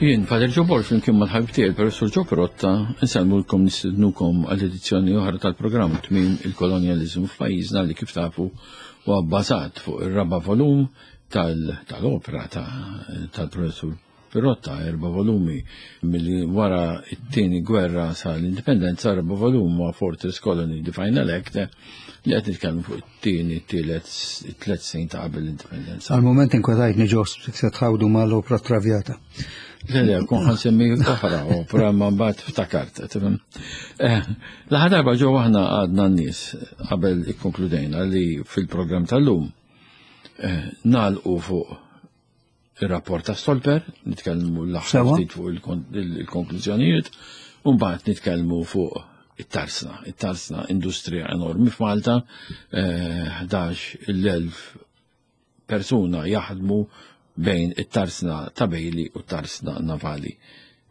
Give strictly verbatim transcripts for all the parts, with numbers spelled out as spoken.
Jien, Father Joe Borg, flimkien mal-ħabib tiegħi, Professor Joe Pirotta, insellmulkom, nistednukom għall-edizzjoni oħra tal-programm Tmiem il-Kolonjaliżmu f'pajjiżna, li kif tafu huwa bbażat fuq ir-raba' volum tal-opra tal-Professur Pirotta, erba' volumi milli wara it-tieni gwerra sa l-indipendenza. Erba' volum huwa Fortress Colony, The Final Act, li qed nitkellmu fuq it-tieni, it-tielet, it-tliet snin ta' qabel l-indipendenza. Għal-moment inkwetajtni ġo se tħawdu mal-opra Traviata. Le, le, kont ħa nsemmi oħra opra, ma mbagħad ftakart. Tifhem? Eh, l-aħħar darba ġo aħna għadna n-nies qabel ikkonkludejna li fil-programm tal-lum eh, nagħlqu fuq ir-rapport ta' Stolper, nitkellmu l-aħħar Sewa. ftit fuq il-kon- il-konklużjonijiet, u mbagħad nitkellmu fuq it-tarsna. It-tarsna industrija enormi f'Malta, eh, ħdax-il elf persuna jaħdmu bejn it-tarsna ta' Bailey u t-tarsna navali.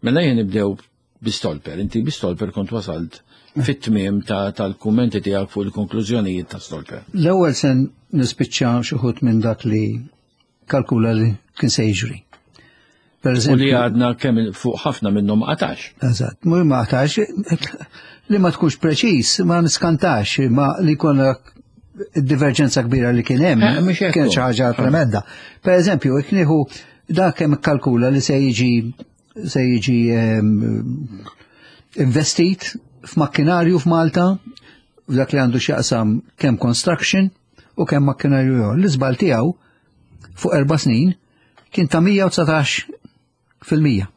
Mela jien nibdew bi Stolper. Inti bi Stolper kont wasalt fit-tmiem ta' tal-kummenti tiegħek fuq il-konklużjonijiet ta' Stolper. L-ewwel sen nispiċċa xi wħud minn dak li kalkula li kien se jiġri. Per U li eżempju, għadna kemm fuq ħafna minnhom qatax. Eżatt, mhu ma qatax, li ma tkunx preċiż, ma niskantax, ma li jkollna diverġenza kbira li kien hemm, Eh, mhux hekk kien hu. xi ħaġa tremenda. Per eżempju, jekk nieħu dak kemm kalkula li se jiġi se jiġi ehm, investit f'makkinarju f'Malta, f'dak li għandu x'jaqsam kemm construction u kemm makkinarju ieħor. L-iżbal tiegħu fuq erba' snin kien ta' mija u dsatax fil-mija.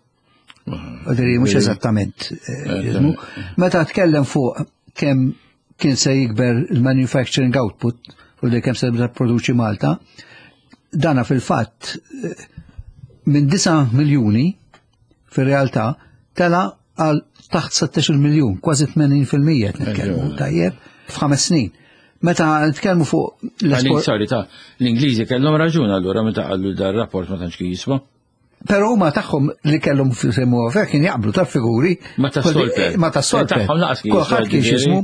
Għadri, mhux eżattament. eh, jismu. Meta tkellem fuq kemm kien se jikber il-manufacturing output u li kemm se produċi Malta, dana fil-fatt eh, minn disa' miljuni fil-realtà tela għal taħt sittax-il miljun, kważi tmenin fil-mija qed nitkellmu, tajjeb, f'ħames snin. Meta nitkellmu fuq Għalin, l-esport, sorry, ta' l-Ingliżi kellhom raġun allura meta qalu dar rapport ma tantx kien jiswa. Pero huma tagħhom li kellhom semmu għafek kien jaqblu ta' figuri. Ma ta' Stolper. Ma ta' Stolper. Tagħhom laqas kien jiswa, Kulħadd kien ġifieri. jismu.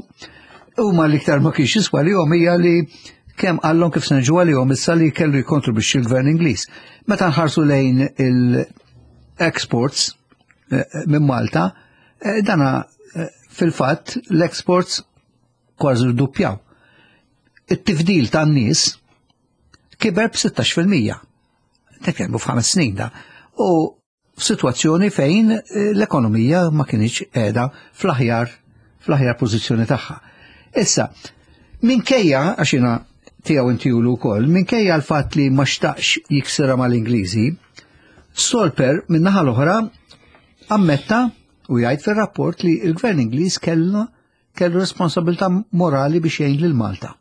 Huma l-iktar ma kienx jiswa li hom hija li kemm qallhom kif se niġu għalihom issa li kellu jikkontribwixxi l-gvern Ingliż. Meta nħarsu lejn il-exports eh, minn Malta, eh, dana eh, fil-fatt l-exports kważi rduppjaw. It-tifdil tan-nies kiber b'sittax fil-mija. Nitkellmu f'ħames snin da. U f'sitwazzjoni fejn eh, l-ekonomija ma kienx qiegħda fl-aħjar fl-aħjar pożizzjoni tagħha. Issa, minkejja, għax jiena tiegħu intijulu wkoll, minkejja l-fatt li ma xtaqx jiksira mal-Ingliżi, Stolper min-naħa l-oħra ammetta u jgħid fir-rapport li l-gvern Ingliż kellna kellu responsabilità morali biex jgħin lil Malta.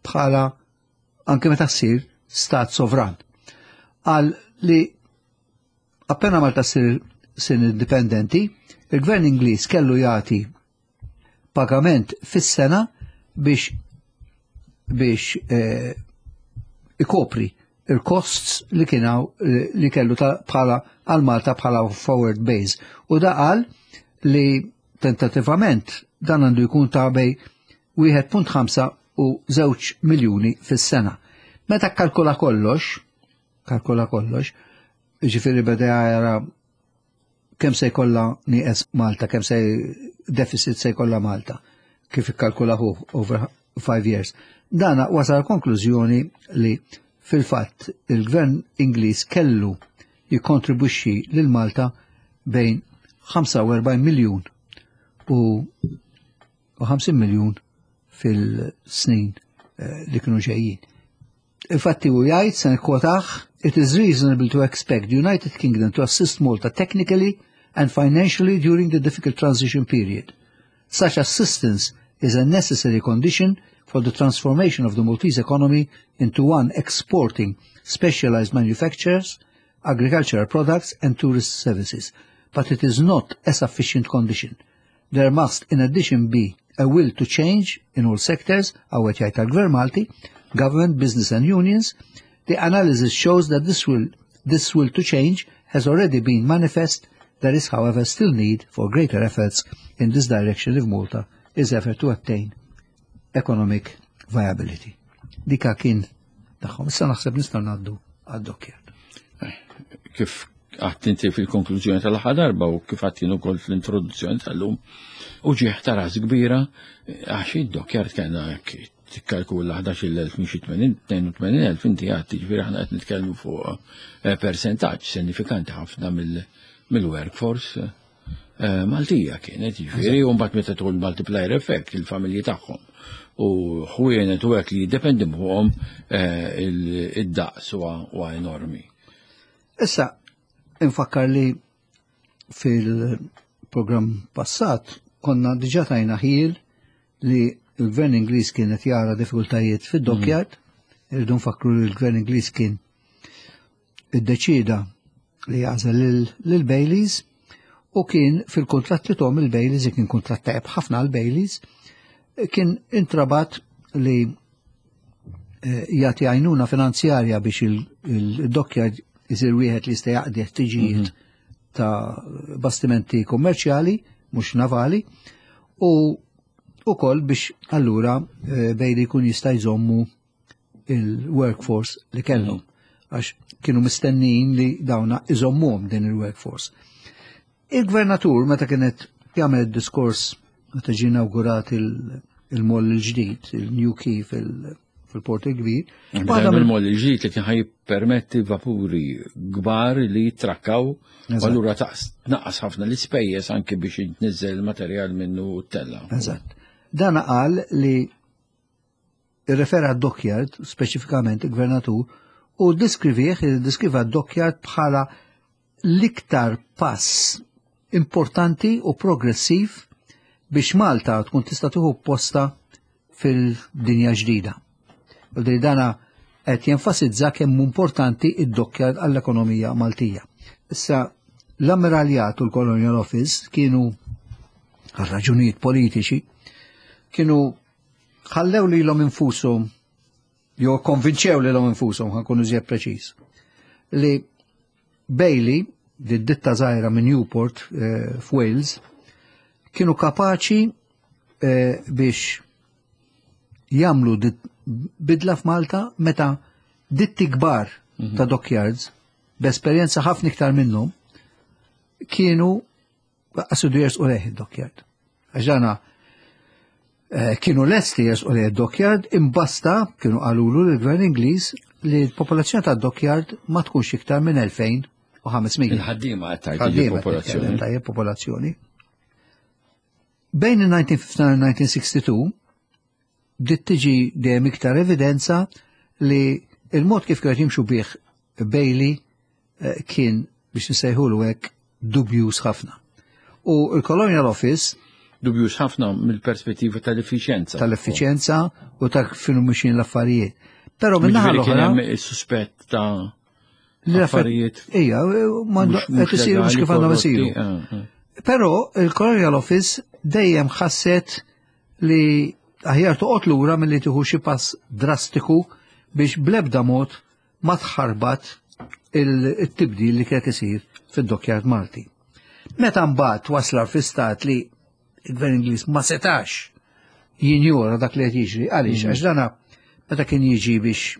Bħala anke meta ssir stat sovran. Qal li appena Malta ssir sin indipendenti, il-gvern Ingliż kellu jagħti pagament fis-sena biex biex eh, ikopri il-costs li kienaw li kellu ta' bħala għal Malta bħala forward base. U da qal li tentativament dan għandu jkun ta' bejn wieħed punt ħamsa u żewġ miljuni fis-sena. Meta kalkula kollox, kalkula kollox, ġifieri beda jara kemm se jkollha nieqes Malta, kemm se deficit se jkollha Malta, kif ikkalkula hu over five years. Dana wasal konklużjoni li fil-fatt il-gvern Ingliż kellu jikkontribwixxi lil Malta bejn ħamsa u erbgħin miljun u u ħamsin miljun fil-snin eh, li kienu ġejjin. Infatti u jgħid, se nikkwotah, "It is reasonable to expect the United Kingdom to assist Malta technically and financially during the difficult transition period. Such assistance is a necessary condition for the transformation of the Maltese economy into one exporting specialized manufacturers, agricultural products and tourist services. But it is not a sufficient condition. There must in addition be a will to change in all sectors," hawn jgħid tal-Gvern Malti, "government, business and unions. The analysis shows that this will, this will to change has already been manifest. There is, however, still need for greater efforts in this direction if Malta is ever to attain economic viability." Dika kien tagħhom. Issa naħseb nistgħu ngħaddu għad-dockyard. Kif għedt inti fil-konklużjoni tal-aħħar darba u kif għedt jien ukoll fl-introduzzjoni tal-lum, u ġieħ ta' ras kbira, għax id-dockyard kellna tikkalkula ħdax-il elf minn xi tnejn u tmenin elf, inti għedt, ġifieri aħna qed nitkellmu fuq eh, percentaġġ sinifikanti ħafna mill-workforce eh, Maltija kienet, ġifieri, u mbagħad meta tqul multiplier effect, il-familji tagħhom u ħwienet u hekk li jiddependi fuqhom, eh, id-daqs huwa enormi. Issa, infakkar li fil-programm passat konna diġà tajna ħjiel li il-gvern Ingliż kienet jara diffikultajiet fid-dockyard, mm. irridu nfakru li l-gvern Ingliż kien iddeċida li jagħżel lil Baileys u kien fil-kontratt li tahom il-Baileys, kien kontratt tajjeb ħafna għal Baileys, kien intrabat li eh, jagħti għajnuna finanzjarja biex il-dockyard isir wieħed li jista' jaqdi ħtiġijiet mhm. ta' bastimenti kummerċjali, mhux navali, u ukoll biex allura eh, Bailey jkun jista' jżommu il-workforce li kellhom, għax kienu mistennijin li dawna iżommuhom din il-workforce. Il-gvernatur, meta kienet jagħmel diskors meta ġie inawgurat il-moll il-ġdid, il-New Quay fil-Port il-Kbir. Waħda mill-moll il-ġdid li kien ħa jippermetti vapuri kbar li jitrakkaw, allura tnaqqas ħafna l-ispejjeż anke biex jitniżel il-materjal minnu tella. Eżatt. Dan qal li irrefera dockyard, speċifikament il-gvernatur, u diskrivih, diskriva dockyard bħala l-iktar pass importanti u progressiv biex Malta tkun tista' tieħu posta fil-dinja ġdida. U di dana qed jenfasizza kemm importanti id-dockyard għall-ekonomija Maltija. Issa, l-Ammiraljat u l-Colonial Office kienu, għal raġunijiet politiċi, kienu ħallew lilhom infushom, jew konvinċew lilhom infushom, ħa nkunu iżjed preċiż, li Bailey, di ditta żgħira minn Newport eh, f'Wales, kienu kapaċi eh, biex jagħmlu bidla f'Malta meta ditti kbar mm -hmm. ta' dockyards b'esperjenza ħafna iktar minnhom kienu qasudu jersqu lejh id-dockyard. Għax dana eh, kienu lesti jersqu lejh id-dockyard, imbasta kienu qalulu l-gvern Ingliż li l-popolazzjoni ta' dockyard ma tkunx iktar minn elfejn u ħames mija. Il-ħaddiema qed popolazzjoni. Tajjeb, popolazzjoni. Bejn il-elf disa' mija u ħamsa u disgħin u elf disa' mija u sitta u sebgħin bdiet tiġi dejjem iktar evidenza li il-mod kif kienet jimxu bih Bailey eh, kien, biex nsejħulu hekk, dubjuż ħafna. U il-Colonial Office Dubjuż ħafna mill-perspettiva tal-effiċenza. Tal-effiċenza u ta' kif mexjin l-affarijiet. Però minn naħa Ġifieri kien l-oħra hemm is-suspett ta' affarijiet Ija, qed isiru mhux kif għandhom isiru. Ah, ah. Però il-Colonial Office dejjem ħasset li aħjar toqgħod lura milli tieħu xi pass drastiku biex blebda mod ma tħarbat il-tibdil li kienet isir fid-dockyard Malti. Meta mbagħad wasla fi stat li il-Gvern Ingliż ma setax jinjora dak li qed jiġri, għaliex? Għax dana meta kien jiġi biex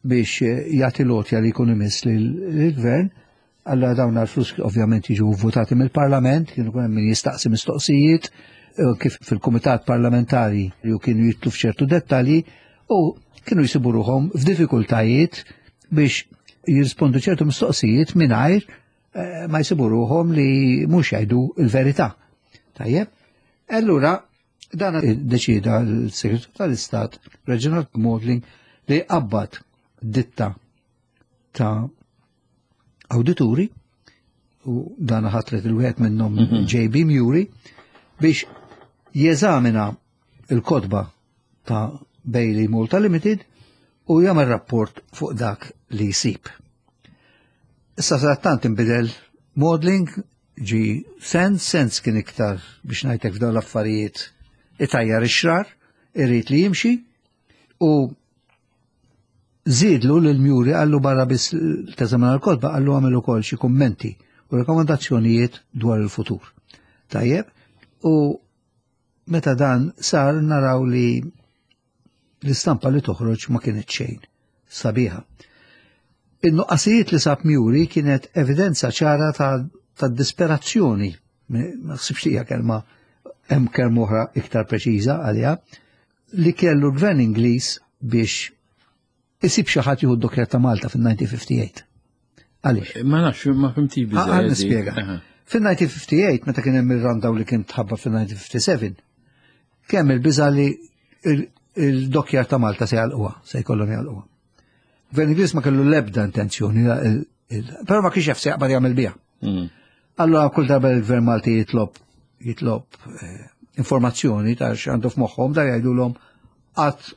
biex jagħti l-għotja li jkun imiss lill-gvern, alla dawn l-flus ovvjament jiġu votati mill-Parlament, kienu hemm min jistaqsi mistoqsijiet, eh, kif fil-Kumitat Parlamentari li kienu jidħlu f'ċertu dettalji u kienu jsibu ruħhom f'diffikultajiet biex jirrispondu ċertu mistoqsijiet mingħajr eh, ma jsibu ruħhom li mhux jgħidu l-verità. Tajjeb? Allura dan deċida l-Segretarju tal-Istat Reginald Maudling li qabbad ditta ta' awdituri, u dan ħatret il-wieħed minnhom, J B. Murray, biex jeżamina il-kotba ta' Bailey Malta Limited u jagħmel rapport fuq dak li jsib. Issa sadattant inbidel Maudling, ġi Sands. Sands kien iktar, biex ngħidlek, f'dawn l-affarijiet itajjar ix-xrar, irid li jimxi, u żiedlu lil Murray, qallu barra biss teżamina l-kotba, qallu għamel ukoll xi kummenti u rekomandazzjonijiet dwar il-futur. Tajjeb, u meta dan sar naraw li l-istampa li toħroġ ma kienet xejn sabiħa. Il-nuqqasijiet li sab Muri kienet evidenza ċara ta', ta disperazzjoni, ma ħsibx li hija kelma, hemm kelma oħra iktar preċiża għaliha, li kellu l-gvern Ingliż biex isib xi ħadd jieħu d-dockyard ta' Malta fil-elf disa' mija u ħamsa u ħamsin. Għaliex? Ma nafx, ma fhimtx. Ħa nispjega. Fil-elf disa' mija u ħamsa u ħamsin, meta kien hemm ir-rundown li kien tħabbar fil-elf disa' mija u ħamsa u sebgħin, kemm il-biża li il-dockyard ta' Malta se jagħlquha, se jkollhom jagħlquha. Gvern Ingliż ma kellu l-ebda intenzjoni, però ma kienx jaf se jaqbad jagħmel biha. Mm. Allora kull darba il-Gvern Malti jitlob jitlob eh, informazzjoni ta' x'għandu f'moħħhom, da jgħidulhom qatt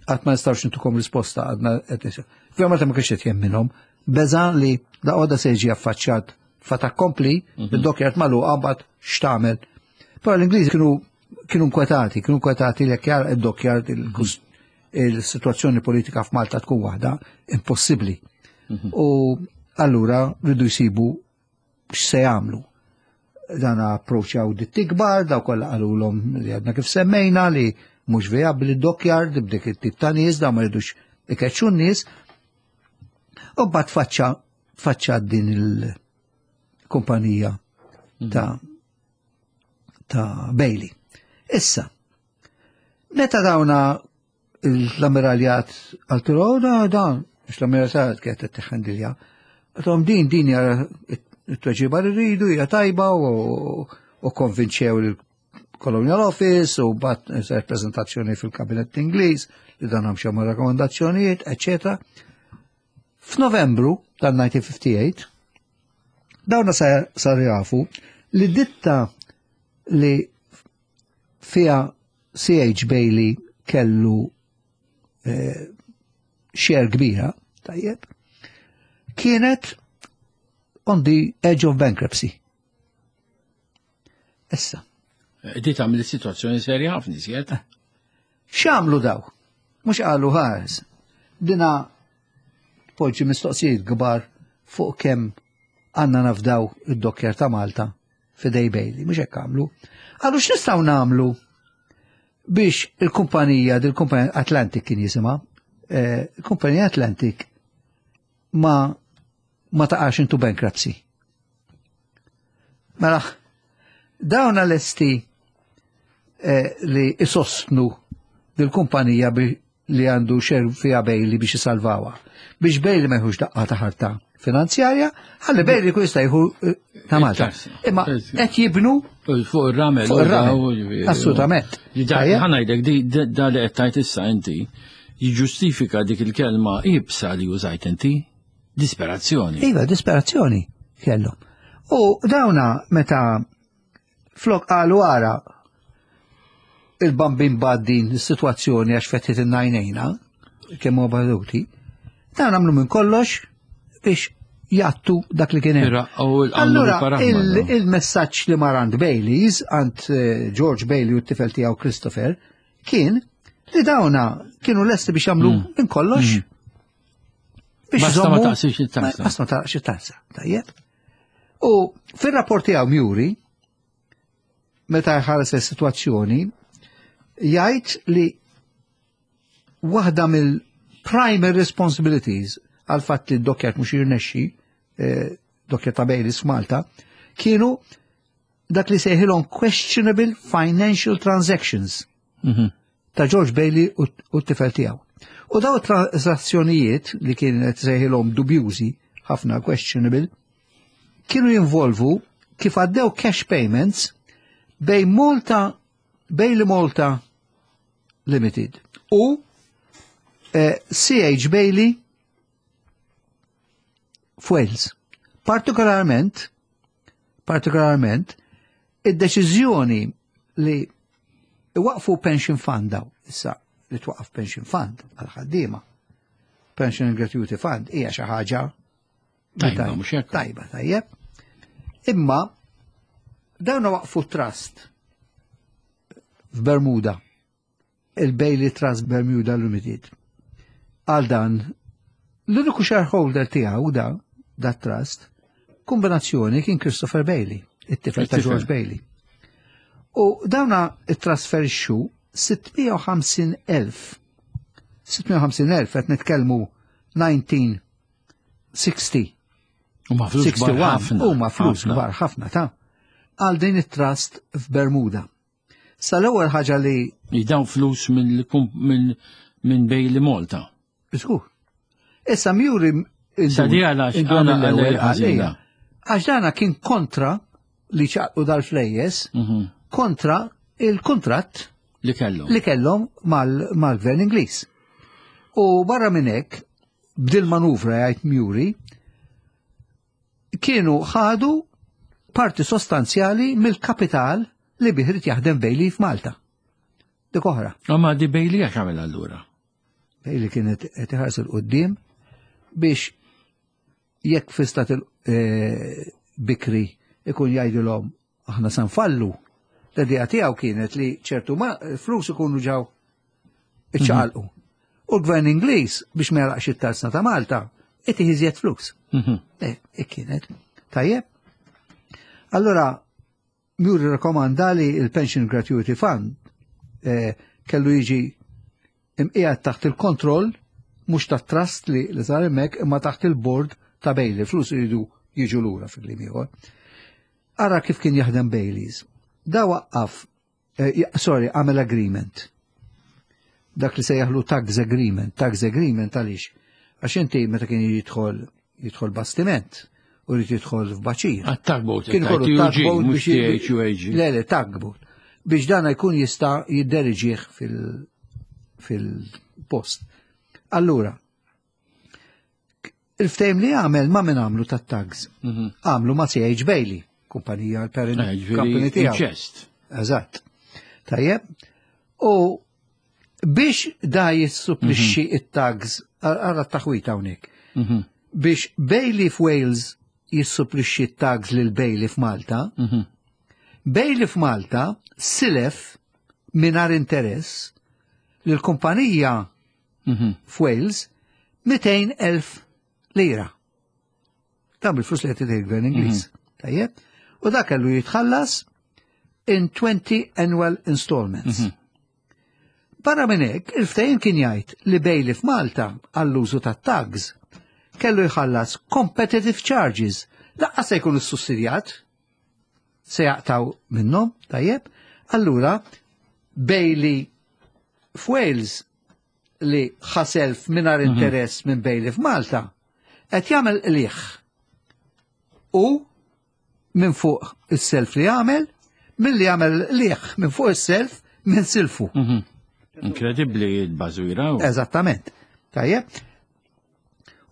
qatt ma nistgħux ntukom risposta, għadna qed. Gvern Malti ma kienx qed jemminhom, beża li da għoda se jiġi affaċċjat fait accompli, mhm. id-dockyard magħluqa, mbagħad x'tagħmel. Però l-Ingliżi kienu kienu nkwetati, kienu nkwetati li jekk id-dockyard, il-situazzjoni politika f'Malta tkun waħda impossibbli. Mhm. U allura rridu jsibu x'se jagħmlu. Dan approċċjaw ditti kbar, daw kollha qalulhom li għadna kif semmejna li mhux vijabbli dockyard b'dik it-tip ta' nies, daw ma jridux ikeċċu n-nies. U mbagħad faċċa faċċa din il-kumpanija mhm. ta' ta' Bailey. Issa, meta dawna l-ammiraljat għaltru, da, dan, biex l-ammiraljat kienet t-tħandilja, għatom din din hija t-tweġiba li rridu, hija tajba, u konvinċew il-Colonial Office u bat prezentazzjoni fil-Kabinet Ingliż li dan għamxew ma' rakkomandazzjonijiet, eccetera. F'Novembru tal-elf disa' mija u ħamsa u ħamsin, dawna sar jafu li ditta li fija C H. Bailey kellu eh, share kbira, tajjeb, kienet on the edge of bankruptcy. Issa. Di tagħmel is-sitwazzjoni serja ħafna iżjed. X'għamlu daw? Mhux qalu ħares. Dina poġġi mistoqsijiet kbar fuq kemm għandna nafdaw id-dockyard ta' Malta f'idejn Bailey, mhux hekk għamlu. Qalu x'nistgħu nagħmlu biex il-kumpanija, dil-kumpanija Atlantic kien jisimha, eh, il-kumpanija Atlantic ma ma taqax into bankruptcy. Mela, dawn lesti eh, li isostnu dil-kumpanija li għandu share fija Bailey biex jisalvawa. Biex Bailey ma jħux daqqa ta' ħarta finanzjarja, ħalli Bailey kun jista' jieħu eh, ta' Malta. Imma qed jibnu fuq ir-ramel. Fuq ir-ramel. Assolutament. Ħa ngħidlek, di da li qed tajt issa inti jiġġustifika dik il-kelma ibsa li użajt inti, disperazzjoni. Iva, disperazzjoni kellu. U dawna meta flok qalu ara il-bambin baddin is-sitwazzjoni għax fetħet in-najnejna, kemm huwa baduti, dawn għamlu minn kollox biex jattu dak li kien hemm. Allura il-messaġġ li mar għand Baileys, għand eh, George Bailey u t-tifel tiegħu Christopher, kien li dawna kienu lesti biex jagħmlu mm. minn kollox. Mm. Biex basta ma taqsix it-tazza. Basta ma taqsix it-tazza, tajjeb. U fir-rapport tiegħu Muri, meta jħares is-sitwazzjoni, jgħid li waħda mill-primary responsibilities għal fatt li d-dockyard mhux jirnexxi, eh, dockyard ta' Baileys f'Malta, kienu dak li sejħilhom questionable financial transactions mhm. ta' George Bailey u t-tifel tiegħu. U daw transazzjonijiet li kienet sejħilhom dubjużi ħafna, questionable, kienu jinvolvu kif għaddew cash payments bejn Malta, Bailey Malta Limited u eh, C H. Bailey f'Wales. Partikolarment, partikolarment, id-deċiżjoni li waqfu pension fund daw, issa li twaqaf pension fund għal-ħaddiema, pension and gratuity fund, hija xi ħaġa tajba, mhux hekk? Tajba, tajjeb. Imma dawn waqfu trust f'Bermuda, il-Bailey Trust Bermuda Limited. Għal dan, l-uniku shareholder tiegħu da, dat trust, kombinazzjoni kien Christopher Bailey, it-tifel ta' George Bailey. U dawna trasferixxu sitt mija u ħamsin elf, sitt mija u ħamsin elf, qed nitkellmu elf disa' mija u ħamsa u ħamsin. sittin. Huma flus kbar ħafna. Huma flus ħafna. kbar ħafna ta' għal din it-trust f'Bermuda. Sa l-ewwel ħaġa li Jidaw flus minn minn minn Bailey Malta. Żgur. Issa Meury Sa di għalax induna għala mill-ewwel għala ħażina. għalija. Għax dana kien kontra li ċaqlu dal-flejjes, Mhm. kontra il-kontratt Li kellhom. li kellhom mal- mal-gvern Ingliż. U barra minn hekk, b'dil manuvra jgħid Meury, kienu ħadu parti sostanzjali mill-kapital li bih irid jaħdem Bailey f'Malta. Dik oħra. Ma di Bailey għax għamel allura? Bailey kienet qed iħares 'il quddiem biex jekk fi stat il-bikri ikun jgħidilhom aħna se nfallu. L-idea tiegħu kienet li ċertu ma flus ikunu ġew iċċaqalqu. U l-gvern Ingliż biex ma jagħlaqx it-tarzna ta' Malta, itih iżjed flus. Mhm. Eh, hekk kienet. Tajjeb. Allora, Meury rekomanda li il-Pension Gratuity Fund eh, kellu jiġi imqiegħed taħt il-kontroll mhux ta' trust li li sar hemmhekk imma taħt il-board ta' Bailey, flus iridu jiġu lura fil-kliem ieħor. Ara kif kien jaħdem Baileys. Da waqqaf, eh, sorry, għamel agreement. Dak li sejjaħlu tugs agreement. Tugs agreement għaliex? Għax inti meta kien jidħol jidħol bastiment u jrid jidħol f'baċir. Għat-tugboat, Kien ikollu tugboat mhux biex T H U A G. Le, le, tugboat. Biex dana jkun jista' jidderiġih fil- fil-post. Allura, il-ftehim li għamel ma' min għamlu tat-tugs? Mhm. Għamlu ma' C H Bailey, kumpanija l-parent Eh, ġifieri company tiegħu. Inċest. Eżatt. Tajjeb. U biex da jissupplixxi it-tugs, għara taħwita hawnhekk. Mhm. Biex Bailey f'Wales jissupplixxi it-tugs lil Bailey f'Malta, Mhm. Bailey f'Malta silef mingħajr interess lil kumpanija Mhm. f'Wales mitejn elf lira. Dan bil-flus li qed il-gvern Ingliż. Tajjeb? U dak kellu jitħallas in twenty annual installments. Barra minn hekk, il-ftehim kien jgħid li Bailey f'Malta għall-użu ta' tugs kellu jħallas competitive charges. Lanqas se jkun sussidjat, se jaqtaw minnhom, tajjeb. Allura, Bailey f'Wales li ħa self mingħajr interess minn Bailey f'Malta, qed jagħmel qliħ. U minn fuq is-self li għamel, milli jagħmel qliħ minn fuq is-self minn silfu. Mhm. Inkredibbli l-bażwira. Eżattament. Tajjeb.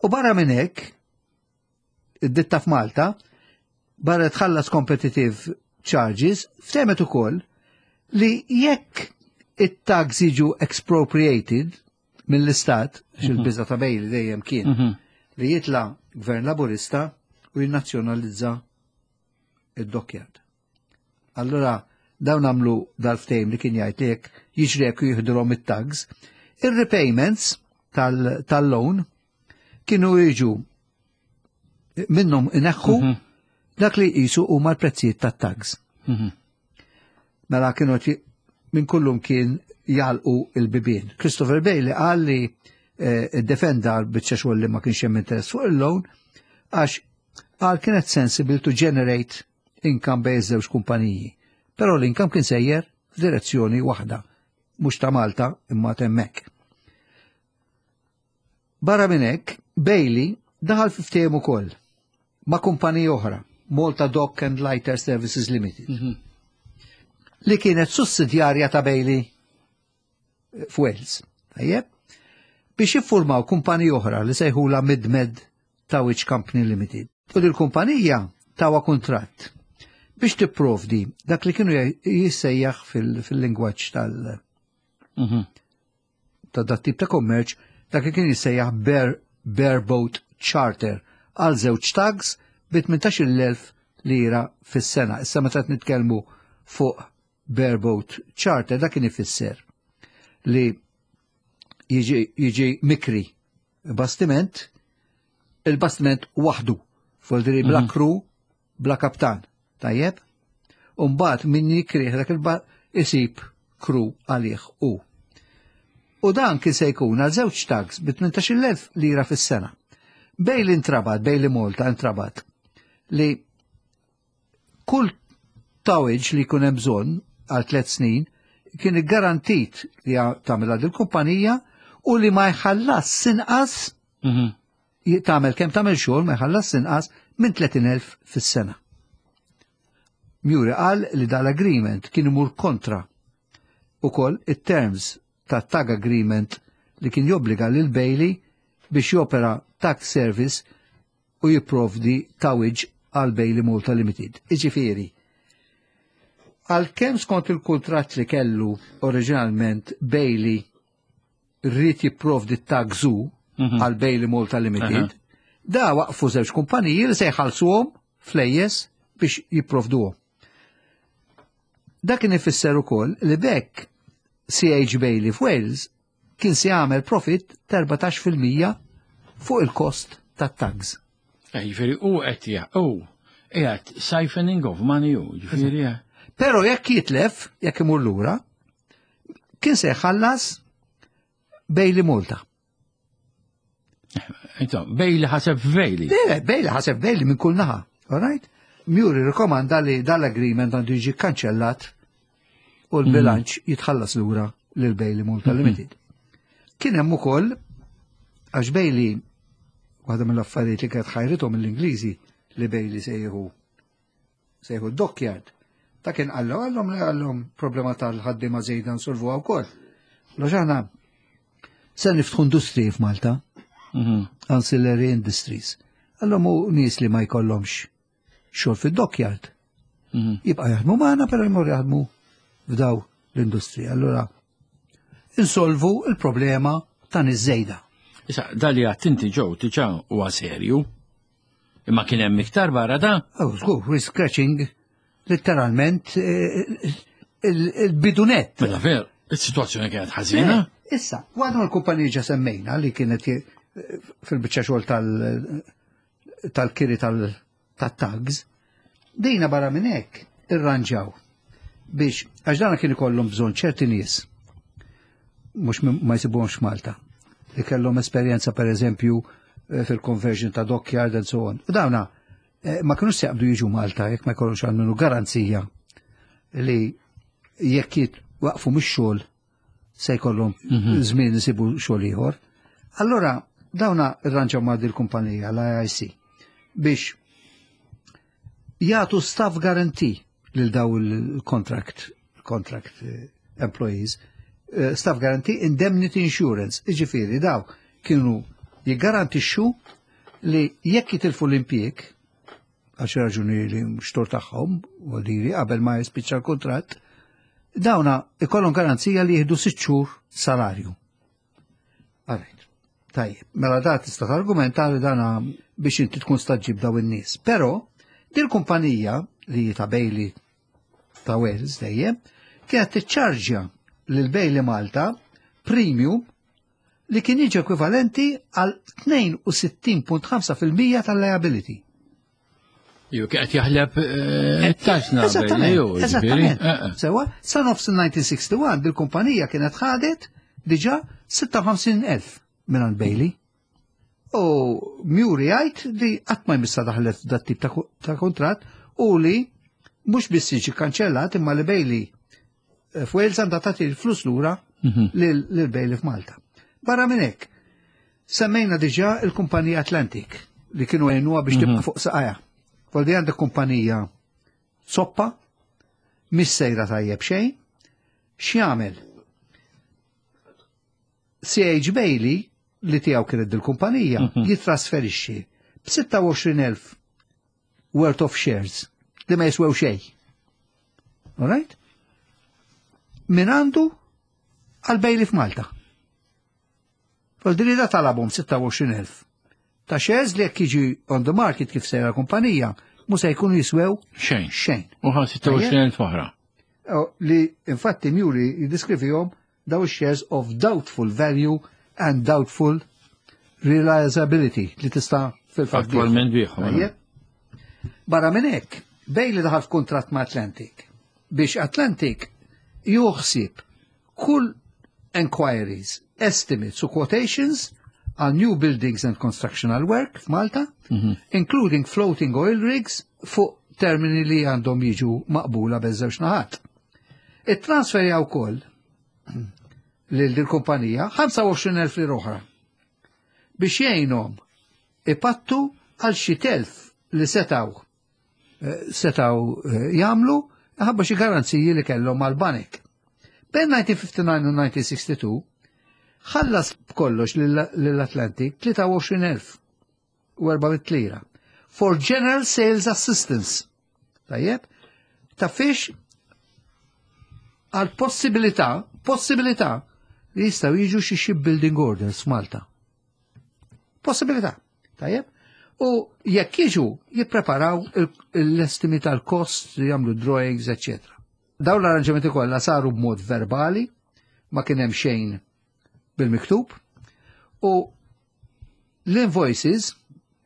U barra minn hekk, id-ditta f'Malta, barra tħallas competitive charges, ftehmet ukoll li jekk it-tugs jiġu expropriated mill-istat, xil-biża ta' Bailey dejjem kien, Mhm. li jitla gvern Laburista u jinnazzjonalizza id-dockyard. Allora, dawn għamlu dal-ftehim li kien jgħid li jekk jiġri jekk jiħdulhom it-tugs, ir-repayments tal- tal-loan kienu jiġu minnhom ineħħu Mhm. dak li jisu huma l-prezzijiet tat-tugs. Mhm. Mela kienu ti- minn kullum kien jalqu il-bibien. Christopher Bailey qal li eh, defenda l-biċċa xogħol li ma kienx hemm interess fuq il-loan għax qal kienet sensible to generate income bejn żewġ kumpaniji. Però l-income kien sejjer f'direzzjoni waħda, mhux ta' Malta imma t'hemmhekk. Barra minn hekk, Bailey daħal fi ftehim ukoll ma' kumpanija oħra, Malta Dock and Lighter Services Limited, Mhm. li kienet sussidjarja ta' Bailey f'Wales. Tajjeb? Biex jiffurmaw kumpanija oħra li sejħula Midmed Towage Company Limited. U dil kumpanija tawa kuntratt biex tipprovdi dak li kienu jissejjaħ fil- fil-lingwaġġ tal- Mhm. ta' dat tip ta' kummerċ, dak li kien jissejjaħ bare, bareboat charter għal żewġ tugs bi tmintax-il elf lira fis-sena. Issa meta qed nitkellmu fuq bareboat charter, dak kien ifisser li jiġi, jiġi mikri bastiment, il-bastiment waħdu, voldiri bla crew, bla kaptan. Tajjeb? Umbagħad min jikrih dak il-ba isib crew għalih u. U dan kien se jkun għal żewġ tugs bi tmintax-il elf lira fis-sena. Bailey intrabat, Bailey Malta intrabat li kull towage li jkun hemm bżonn għal tliet snin kien garantit li tagħmilha dil-kumpanija u li ma jħallas inqas Mhm. tagħmel kemm tagħmel xogħol ma jħallas inqas minn tletin elf fis-sena. Meury qal li dal-agreement kien imur kontra ukoll it-terms ta' tug agreement li kien jobbliga lil Bailey biex jopera tug service u jipprovdi towage għal Bailey Malta Limited. Iġifieri, għalkemm skont il-kuntratt li kellu oriġinalment Bailey rrid jipprovdi tugs għal Bailey Malta Limited, da waqfu żewġ kumpaniji li se jħallsuhom flejjes biex jipprovduhom. Dak kien ifisser ukoll li bekk C H Bailey f'Wales kien se jagħmel profit ta' erbatax fil-mija fuq il-kost tat-tugs. Eh, Ġifieri, u qed ja, u qiegħed siphoning of money u, ġifieri. eh. Pero jekk jitlef, jekk imur lura, kien se jħallas Bailey Malta. Ento, Bailey ħaseb Bailey. Le, Bailey ħaseb Bailey minn kull naħa, all right? Meury rikomanda li dal-agreement għandu jiġi kanċellat u l-bilanċ jitħallas lura lil Bailey Malta Limited. Kien hemm ukoll, għax Bailey, waħda mill-affarijiet li kienet ħajrithom mill-Ingliżi li Bailey se jieħu se jieħu dockyard. Ta' kien qallu għallhom li għallhom problema tal-ħaddiema żejda nsolvuha wkoll. Loġana se niftħu industriji f'Malta, Mhm. ancillary industries. Għallhom u nies li ma jkollhomx xogħol fid-dockyard. Mhm. Jibqa' jaħdmu magħna, però jmur jaħdmu f'daw l-industrija. Allura insolvu il-problema ta' nies żejda. Issa, dali għattinti ġew diġà huwa serju. Imma kien hemm iktar barra da? Oh, żgur, we're scratching letteralment eh, il- il-bidunet. Mela ver, is-sitwazzjoni kienet ħażina. Eh, Issa, waħda mill-kumpaniji ġa semmejna li kienet eh, fil-biċċa xogħol tal- tal-kiri tal-tugs, dejna barra minn hekk irranġaw biex, għax dana kien ikollhom bżonn ċerti nies mhux minn- ma jsibuhomx Malta, li kellhom esperjenza, per eżempju, eh, fil-conversion ta' dockyard and so on. U dawna eh, ma kienux se jaqbdu jiġu Malta jekk ma jkollhomx għalmenu garanzija li jekk jitwaqfu mix-xogħol se jkollhom żmien isibu xogħol ieħor. Allora dawna irranġaw ma' dil-kumpanija l-I I C biex jagħtu staff guarantee lil daw il-contract contract eh, employees, eh, staff guarantee indemnity insurance. Iġifieri daw kienu jiggarantixxu li jekk jitilfu l-impjieg għal xi raġuni li mhux tort tagħhom u li qabel ma jispiċċa l-kuntratt, dawna ikollhom garanzija li jieħdu sitt xhur salarju. Alright. Tajjeb, mela da tista' targumenta li dana biex inti tkun staġġib daw in-nies. Però dil kumpanija li ta' Bailey ta' Wales dejjem kienet tiċċarġja lil Bailey Malta premium li kien jiġi ekwivalenti għal tnejn u sittin punt ħamsa fil-mija tal-liability. Ju qed jaħleb eh, it-taxna. Eżattament, Bailey, u, ġifieri, eżattament. eh, eh. Sewa, sa nofs il-elf disa' mija u wieħed u sittin dil-kumpanija kienet ħadet diġa sitta u ħamsin elf minn Bailey. U Meury jgħid li qatt ma jmissa daħlet dat tip ta' ko- ta' kontratt u li mhux biss jiġi kanċellat imma li Bailey eh, f'Wales għandha tagħti l-flus lura lil lil Bailey f'Malta. Barra minn hekk, semmejna diġà il-kumpanija Atlantic li kienu għenuha biex tibqa' fuq saqajha. Voldi għandek kumpanija soppa, mhix sejra tajjeb xejn, x'jagħmel? C H Bailey, li tiegħu kienet dil-kumpanija, jitrasferixxi b'sitta u għoxrin elf worth of shares li ma jiswew xejn. All right? Min għandu għal Bailey f'Malta. Voldiri da talabhom sitta u għoxrin elf ta' shares li jekk jiġi on the market kif sejra kumpanija, mu se jkunu jiswew Xejn. xejn. U ħa sitta u għoxrin elf oħra. Oh, li infatti Meury jiddiskrivihom daw shares of doubtful value and doubtful realizability li tista' fil-fatt. Attualment biħu. Tajjeb. Barra minn hekk, Bailey daħal f'kuntratt ma' Atlantic biex Atlantic juħsib kull enquiries, estimates u quotations għal new buildings and constructional work f'Malta, including floating oil rigs, fuq termini li għandhom jiġu maqbula biż-żewġ naħat. It-transfer wkoll lil dil kumpanija ħamsa u għoxrin elf lira oħra biex jgħinhom ipattu għal xi telf li setaw eh, setaw eh, jagħmlu ħabba xi garanziji li kellhom mal-banek. Bejn elf disa' mija ħamsa u ħamsin u elf disa' mija u sitta u sittin ħallas b'kollox lill-Atlantic tlieta u għoxrin elf u erba' mitt lira for general sales assistance. Tajjeb? Ta' fiex għal possibilità, possibilità li jistaw jiġu xi shipbuilding orders f'Malta. Possibilità. Tajjeb? U jekk jiġu jippreparaw l-estimi tal-kost, jagħmlu drawings, eccetera. Dawn l-arranġamenti kollha saru b'mod verbali, ma kien hemm xejn bil-miktub, u l-invoices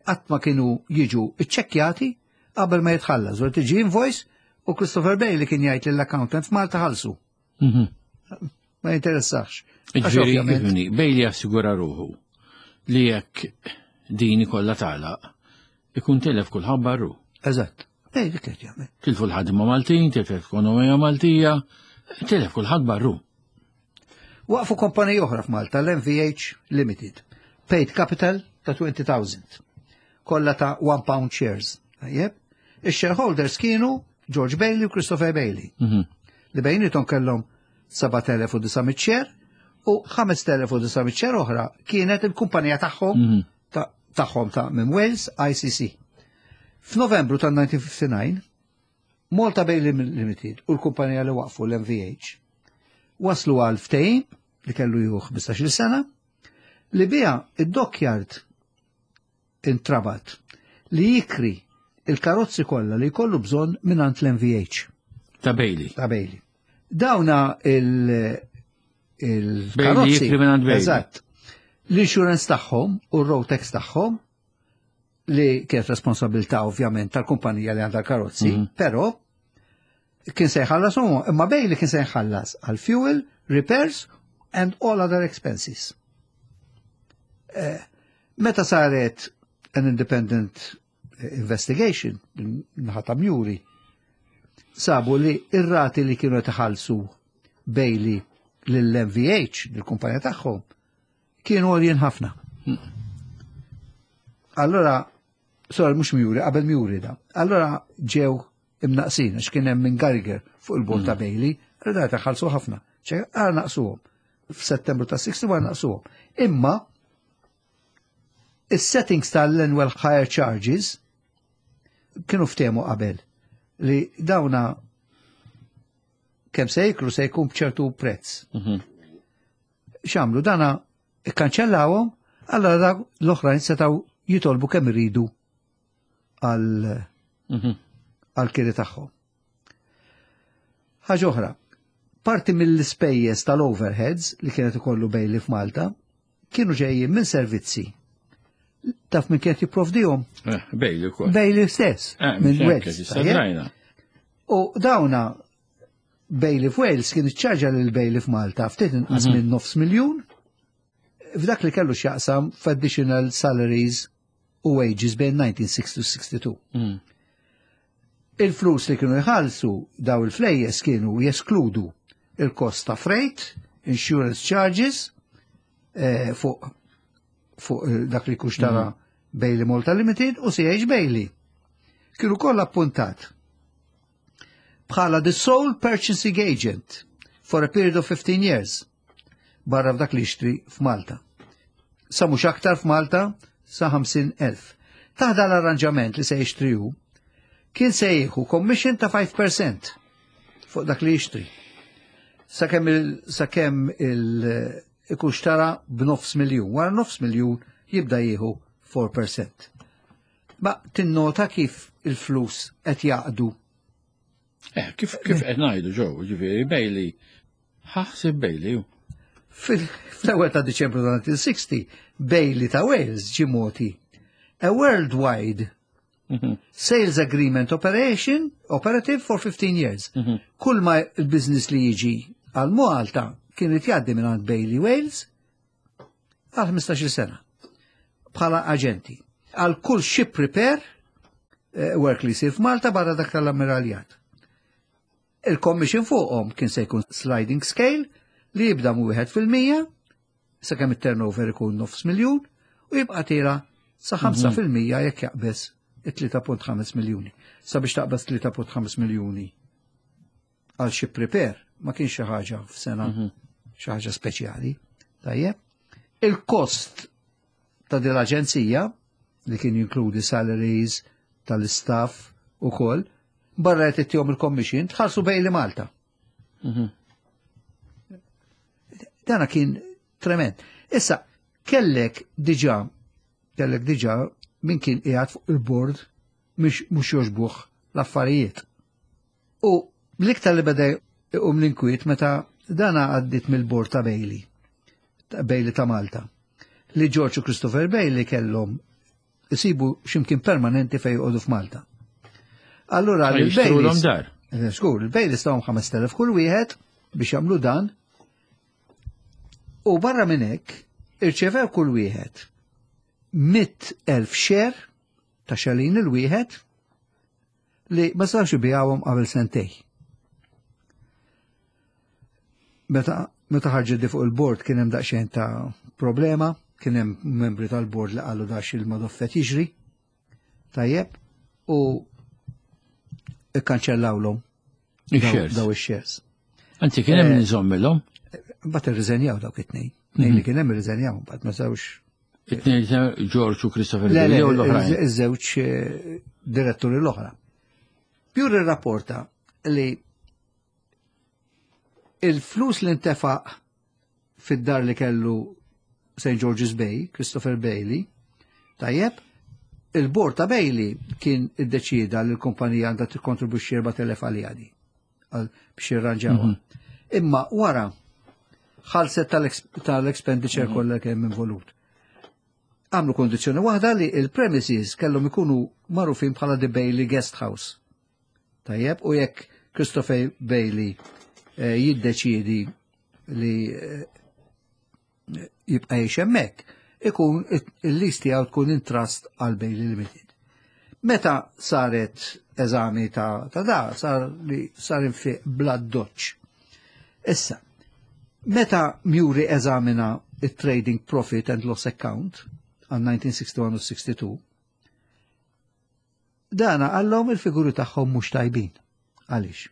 qatt ma kienu jiġu iċċekkjati qabel ma jitħallas. U tiġi invoice u Christopher Bailey kien jgħid lill-accountant f'Malta ħallsu. Mhm. Ma jinteressax. Għax Ġifieri, ovvjament- ifhimni, Bailey assigura ruħu li jekk din kollha tagħlaq, ikun telef kulħadd barru. Eżatt. Bailey kien jagħmel. Tilfu l-ħadima Maltin, tilfu l-ekonomija Maltija, telef kulħadd barru. Waqfu kompanija oħra f'Malta, l-M V H Limited. Paid capital ta' elfejn. Kollha ta' one pound shares. Tajjeb? Ix-shareholders kienu George Bailey u Christopher Bailey. Mhm. Li bejnietom kellhom seba' telef u disa' mitt share u ħamest elef u disa' mitt share oħra kienet il-kumpanija tagħhom Mhm. ta' tagħhom ta' minn Wales, I C C. F'Novembru ta' elf disa' mija ħamsa u ħamsin Malta Bailey Limited u l-kumpanija li waqfu, l-M V H, waslu għal ftehim li kellu jieħu ħmistax-il sena li bija id-dockyard intrabat li jikri il-karozzi kollha li jkollu bżonn mingħand l-M V H Ta' Bailey. Ta' Bailey. Dawna il- il-karozzi. Jikri mingħand Bailey. Eżatt. L-insurance tagħhom u r-road tax tagħhom li kienet responsabilità ovvjament tal-kumpanija li għandha l-karozzi, Mhm. però kien se jħallas huma, imma Bailey kien se jħallas għal fuel, repairs and all other expenses. Eh, Meta saret an independent investigation, naħa ta' Muri, sabu li ir-rati li kienu tħallsu Bailey lill-M V H, l-kumpanija tagħhom, kienu għoljin ħafna. Allora, sorry, mhux Muri, qabel Muri da. Allora ġew imnaqsin, għax kien hemm minn Gallagher fuq il-bord ta' Bailey, allora taħallsu ħafna. ċe, għara naqsuhom. F'Settembru ta' wieħed u sittin naqsuhom. Imma, is-settings tal-annual hire charges kienu ftehmu qabel li dawna kemm se jikru se jkun b'ċertu prezz. Mhm. X'għamlu dana ikkanċellawhom, allora dak l-oħrajn setgħu jitolbu kemm iridu għal Mhm. għal kiri tagħhom. Ħaġa oħra, parti mill-ispejjeż tal-overheads li kienet ikollu Bailey f'Malta kienu ġejjin minn servizzi. Taf minn kienet jipprovdihom? Eh, Bailey ukoll. Bailey stess, Eh, minn mhux hekk, Wales. issa Tajjeb? drajna. U dawna Bailey f'Wales kien iċċarġa lil Bailey f'Malta ftit inqas minn nofs miljun f'dak li kellu x'jaqsam f'additional salaries u wages bejn elf disa' mija u sittin u sitta u sittin. Mhm. Il-flus li kienu jħallsu daw il-flejjes kienu jeskludu il-kost ta' freight, insurance charges, eh, fuq fuq eh, dak li kuxtara Bailey Malta Limited u C H Bailey. Kienu kollha appuntat bħala the sole purchasing agent for a period of fifteen years barra f'dak li jixtri f'Malta. Sa mhux aktar f'Malta sa ħamsin elf. Taħda l-arranġament li se jixtriju kien se jieħu commission ta' five percent fuq dak li jixtri. Sakemm il sakemm il ikun xtara b'nofs miljun. Wara nofs miljun jibda jieħu four percent. Ma tinnota kif il-flus qed jaqdu? Eh, kif kif qed ngħidu ġew, ġifieri Bailey, ħaħsib Bailey. ju. Fil-ewwel ta' Diċembru ta' elf disa' mija u sittin, Bailey ta' Wales ġie mogħti a worldwide Mhm. sales agreement operation operative for fifteen years. Mhm. Kull ma il-business li jiġi għal Malta kien jgħaddi minn għand Bailey Wales għal ħmistax-il sena. bħala aġenti. Għal kull ship repair eh, work li jsir f'Malta barra dak tal-ammiraljat. Il-commission fuqhom kien se jkun sliding scale li jibda mu wieħed fil-mija sakemm it-turnover ikun nofs miljun u jibqa' tiela' sa ħamsa fil-mija jekk jaqbeż it-tlieta punt ħamsa miljuni. Sabiex taqbeż tlieta punt ħamsa miljuni għal ship repair ma kienx xi ħaġa f'sena, xi ħaġa speċjali. Tajjeb. Il-kost ta' din l-aġenzija, li kien jinkludi salaries tal-istaff u koll, barra qed ittihom il-commission, tħallsu Bailey Malta. Dana kien trement. Issa, kellek diġà, kellek diġà min kien qiegħed fuq il-board mhux mhux jogħġbuh l-affarijiet. U l-iktar li beda jqum l-inkwiet meta dana għaddit mill-board ta' Bailey, ta' Bailey ta' Malta, li George u Christopher Bailey kellhom isibu ximkien permanenti fej joqogħdu f'Malta. Allura Ma jixtrulhom l-Baileys dar. Eh, Żgur, il-Baileys tawhom ħamest elef kull wieħed biex jagħmlu dan. U barra minn hekk irċevew kull wieħed mitt elf share ta' xalin il-wieħed li ma sarx ibigħuhom qabel sentejn. Meta meta ħarġet di fuq il-board kien hemm daqsxejn ta' problema, kien hemm membri tal-board li qalu dax il-madoffet jiġri. Tajjeb, u ikkanċellawlhom daw Ix-shares. daw ix-shares. Anzi, kien hemm Eh, niżommilhom. Mbagħad irriżenjaw dawk it-tnejn. Tnejn li kien hemm irriżenjaw, mbagħad ma sewx. It-tnejn, George u Christopher Le, le, Bailey, u l-oħrajn? Iż-żewġ eh, diretturi l-oħra. Pure rapporta li il-flus li ntefaq fid-dar li kellu Saint George's Bay, Christopher Bailey, tajjeb, il-bord ta' Bailey kien iddeċida li l-kumpanija għandha tikkontribwixxi erbat elef għalija di għal biex jirranġawha. Imma wara ħalset tal-expenditure kollha kemm involut. Għamlu kondizzjoni waħda, li il-premises kellhom ikunu magħrufin bħala The Bailey Guest House. Tajjeb, u jekk Christopher Bailey eh, jiddeċiedi li eh, jibqa' jgħix hemmhekk, ikun il-lease tiegħu tkun in trust għal Bailey Limited. Meta saret eżami ta', ta da, sar li sar infiq bla doċ. Issa, meta Muri eżamina il-Trading Profit and Loss Account għal elf disa' mija u sitta u sittin u sitta u sittin, dana għallhom il-figuri tagħhom mhux tajbin. Għaliex?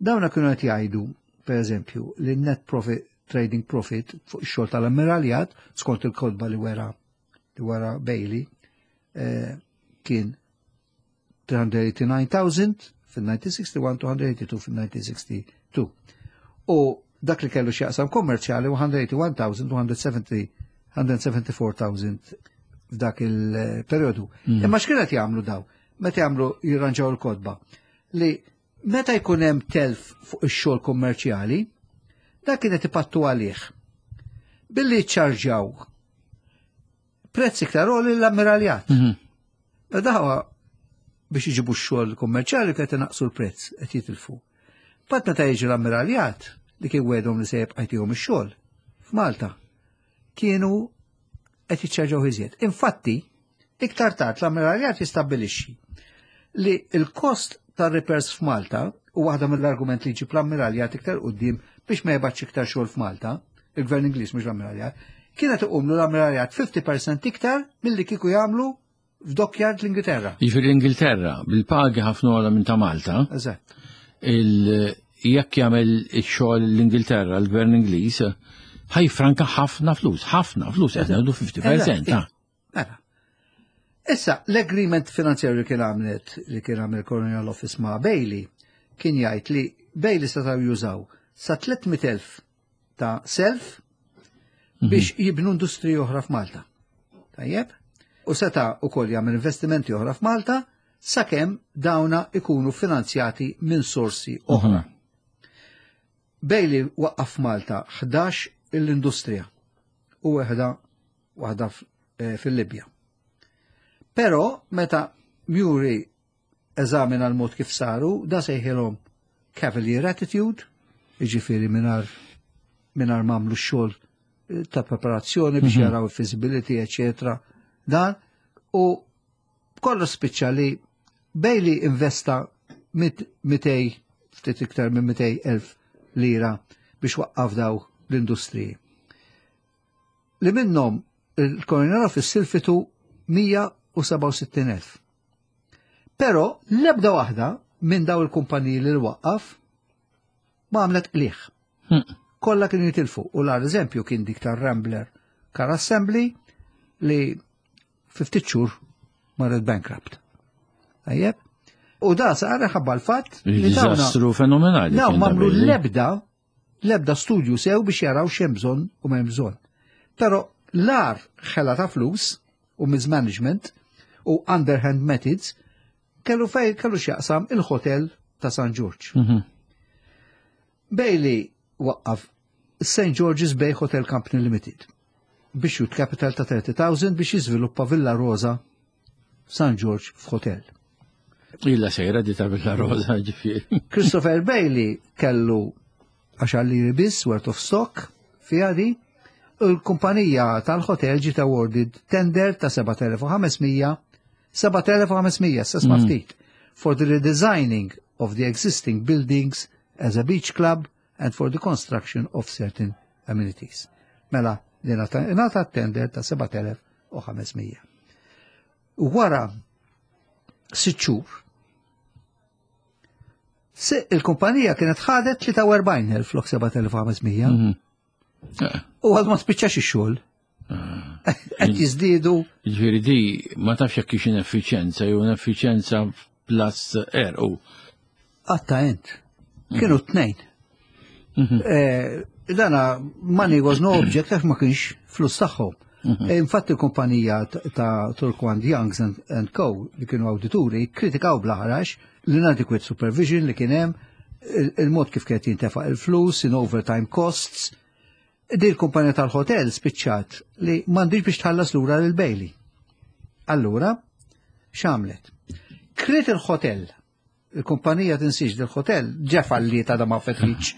Dawna kienu qed jgħidu, per eżempju, li net profit, trading profit fuq ix-xogħol tal-ammiraljat, skont il-kotba li wera li wera Bailey, eh, kien tliet mija u tmienja u tgħonin elf fil-elf disa' mija u wieħed u sittin, tliet mija u tnejn u tmenin fil-elf disa' mija u sitta u sittin. U dak li kellu x'jaqsam kommerċjali mija u wieħed u tmenin elf, mija u erbgħa u sebgħin elf f'dak il-periodu. Imma x'kienet jagħmlu daw? Meta jagħmlu jirranġaw il-kotba? Li meta jkun hemm telf fuq ix-xogħol kommerċjali, dak kienet ipattu għalih billi ċarġaw prezz iktar għoli l-ammiraljat. Mhm. Dawa biex iġibu x-xogħol kummerċjali qed inaqsu l-prezz, qed jitilfu. Bat meta jiġi l-ammiraljat, li kien wedhom li se jibqa' jtihom ix-xogħol f'Malta, kienu qed jiċċarġaw iżjed. Infatti, iktar tard l-ammiraljat jistabbilixxi li l-kost tar-repairs f'Malta, u waħda mill-argument li ġib l-ammiraljat iktar quddiem biex ma jibgħatx iktar xogħol f'Malta, il-gvern Ingliż, mhux l-ammiraljat, kienet iqumlu l-ammiraljat ħamsin fil-mija iktar milli kieku jagħmlu f'dockyard l-Ingilterra. Jiġifieri l-Ingilterra, bil-pagi ħafna ogħla minn ta' Malta, Eżatt. il- jekk jagħmel ix-xogħol l-Ingilterra, l-gvern Ingliż, ħa jiffranka ħafna flus, ħafna flus, qed ngħidu ħamsin fil-mija ta' Mela. Issa, l-agreement finanzjarju li kien għamlet li kien għamel Colonial Office ma' Bailey kien jgħid li Bailey setgħu jużaw sa tliet mitt elf ta' self biex jibnu industriji oħra f'Malta. Tajjeb? U seta' ukoll jagħmel investimenti oħra f'Malta sakemm dawna ikunu finanzjati minn sorsi oħra. Bailey waqqaf f'Malta ħdax l-industrija u waħda waħda f- eh, fil-Libja. Però meta Muri eżamina l-mod kif saru, da sejħilhom cavalier attitude, jiġifieri mingħajr mingħajr m'għamlu xogħol eh, ta' preparazzjoni biex jaraw il-feasibility, eccetera. Dan u kollu spiċċa li Bailey investa mitejn, ftit iktar minn mitejn elf lira biex waqqaf daw l-industriji. Li minnhom il-Colonial Office silfitu mija u sebgħa u sittin elf. Pero l-ebda waħda minn daw il-kumpaniji li l-waqqaf ma għamlet qliħ. Hmm. Kollha kienu jitilfu. U l-eżempju kien dik tar-Rambler Car Assembly li ftit xhur marret bankrupt. Tajjeb? U da sar ħabba l-fatt li dawna Diżastru fenomenali. Daw kien da m'għamlu Bailey. l-ebda l-ebda studju sew biex jaraw x'hemm bżonn u m'hemm bżonn. Però l-agħar ħela ta' flus u mismanagement u underhand methods kellu fej kellu x'jaqsam il-hotel ta' San George. Mhm. Bailey waqqaf Saint George's Bay Hotel Company Limited biex shoot capital ta' thirty thousand biex jiżviluppa Villa Rosa San George f'hotel. Illa sejra di ta' Villa Rosa, ġifieri. Christopher Bailey kellu għaxar liri biss worth of stock fiha di, u l-kumpanija tal-hotel ġiet awarded tender ta' sebat elef u ħames mija, sebat elef u ħames mija, sesma Mm. ftit, for the redesigning of the existing buildings as a beach club and for the construction of certain amenities. Mela, din ngħata tender ta' sebat elef u ħames mija. U wara sitt xhur, se il-kumpanija kienet ħadet tlieta u erbgħin elf flok sebat elef u ħames mija. Mhm. Eh, U għad ma spiċċax ix-xogħol. Qed jiżdiedu. Ġifieri di ma tafx jekk hix ineffiċjenza jew ineffiċjenza plus er u. Għatta ent. Kienu tnejn. Eh, Dana money was no object għax ma kienx flus tagħhom. Eh, Infatti il-kumpanija ta- ta' Turquand Youngs and, and Co. li kienu awdituri kritikaw bl-aħrax l-inadequate supervision li kien hemm, il- il-mod kif kienet jintefaq il-flus, in overtime costs. Di l-kumpanija tal-hotel spiċċat li m'għandix biex tħallas lura lil Bailey. Allura, x'għamlet? Kriet il-hotel, il-kumpanija tinsiex del-hotel, ġa falli ta' da ma fetħitx.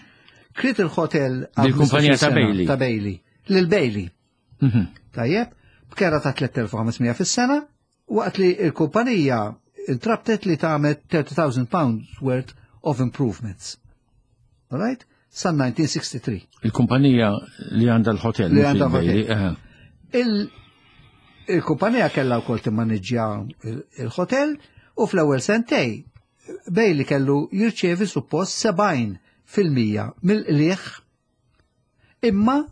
Kriet il-hotel għal Dil-kumpanija ta' ħmistax-il sena. Bailey. Ta' Bailey. Lil Bailey. Mhm. Tajjeb, b'kera ta' tliet elef u ħames mija fis-sena, waqt li il-kumpanija intrabtet li tagħmel thirty thousand pounds worth of improvements. All right? Sa elf disa' mija u sitta u sittin. Il-kumpanija li għandha l-hotel. Li mhux għandha il-Bailey, l-hotel. eh. Il- Il-kumpanija kellha wkoll timmaneġġja il- il-hotel u fl-ewwel sentej Bailey kellu jirċievi suppost sebgħin fil-mija mill-qliħ, imma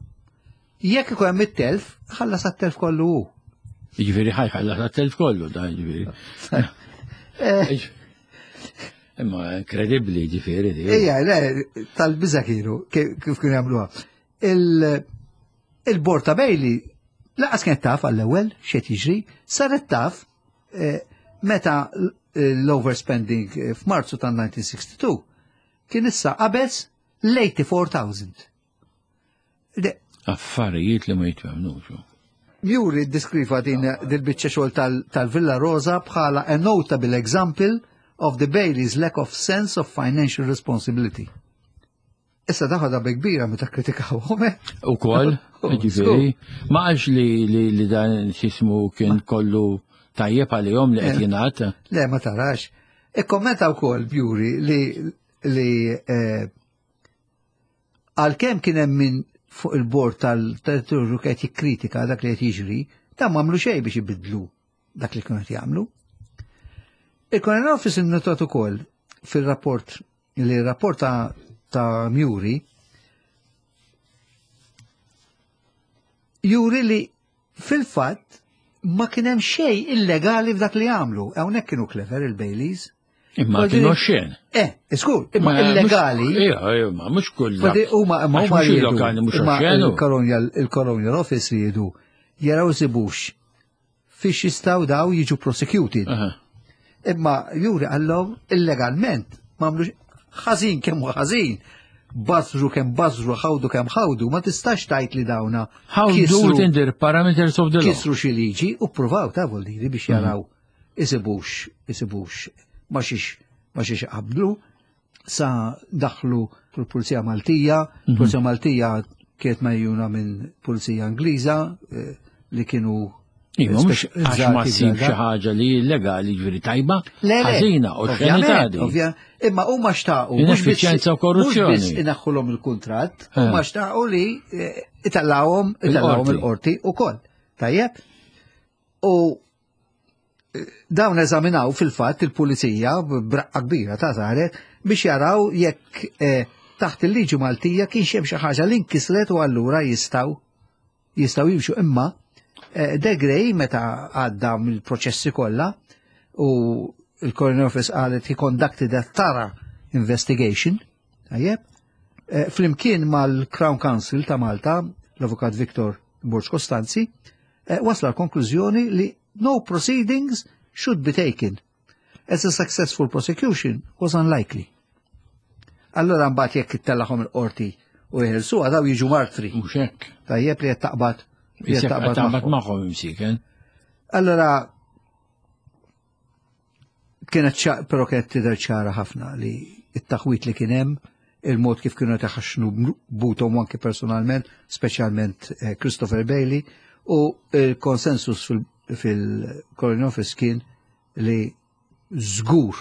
jekk ikun hemm it-telf, ħallas għat-telf kollu hu. Ġifieri ħa jħallas għat-telf kollu, da ġifieri. Eh, Imma inkredibbli ġifieri di. Ija, le, tal-biża kienu, kif kif kienu jagħmluha. Il- Il-bord ta' Bailey lanqas kienet taf għall-ewwel x'qed jiġri, saret taf eh, meta l-overspending eh, f'Marzu tal-elf disa' mija u sitta u sittin kien issa qabeż l-tmien u tmenin elf. De- Affarijiet li ma jitwemnux. Juri ddiskriva din dil-biċċa xogħol tal- tal-Villa Rosa bħala a notable example of the Bailey's lack of sense of financial responsibility. Issa daħħa bi kbira meta kritikawhom, eh? U koll, Oh, ġifieri, ma għax li, li, li dan xismu kien kollu tajjeb għalihom li qed Eh. jingħad. Le, ma tarax. Ikkommenta wkoll Bury li li eh, għalkemm kien hemm min fuq il-bord tal-territorju qed jikkritika dak li qed jiġri, dan m'għamlu xejn biex ibidlu dak li kienu qed jagħmlu. Il-Colonial Office innotat ukoll fil-rapport li rapport ta', ta' Murray juri li fil-fatt ma kien hemm xejn illegali f'dak li għamlu. Hawnhekk kienu clever il-Baileys. Imma Vuol kienu dire- xen. Eh, skur, imma illegali. Ija, imma mhux kull. Vuol huma imma Għax huma mhux riedu- il-lokali mhux imma oxxenu. il-Colonial il-Colonial Office riedu jaraw sibux fiex jistgħu daw jiġu prosecuted. Aha. Imma juri għallhom illegalment m'għamlux ħażin kemm hu ħażin. Bażru kemm bażru, ħawdu kemm ħawdu, ma tistax tgħid li dawna How do kisru- within the parameters of the law. kisru xi liġi u ppruvaw ta' vuol dire biex jaraw isibux, isibux, ma xiex, ma xiex qablu, sa daħlu l-Pulizija Maltija, Pulizija Maltija kienet megħjuna minn Pulizija Ingliża eh, li kienu Iva, mhux għax ma ssib xi ħaġa li illegali ġifieri tajba, ħażina u xenità. Imma huma xtaqu. Ineffiċjenza u korruzzjoni. Mhux biss inaħħulhom il-kuntratt, huma xtaqu li itellgħuhom itellgħuhom il-qorti ukoll. Tajjeb? U dawn eżaminaw fil-fatt il-pulizija b'raqqa kbira ta' saret biex jaraw jekk taħt il-liġi Maltija kienx hemm xi ħaġa li nkisret u allura jistgħu jistgħu jimxu. Imma De Grey meta għadda mill-proċessi kollha u il-Coroner Office qalet he conducted a thorough investigation, tajjeb, flimkien mal-Crown Council ta' Malta, l-Avukat Victor Borg Costanzi, wasla l-konklużjoni li no proceedings should be taken as a successful prosecution was unlikely. Allora mbagħad jekk ittellagħhom il-qorti u jeħilsuha daw jiġu martri. Mhux hekk. Tajjeb li qed taqbad taqbad magħhom imsiken. Allora kienet però kienet tidher ċara ħafna li t-taħwit li kien hemm, il-mod kif kienu taħaxnu butom anke personalment, speċjalment Christopher Bailey, u il-konsensus fil-Coroner Office kien li żgur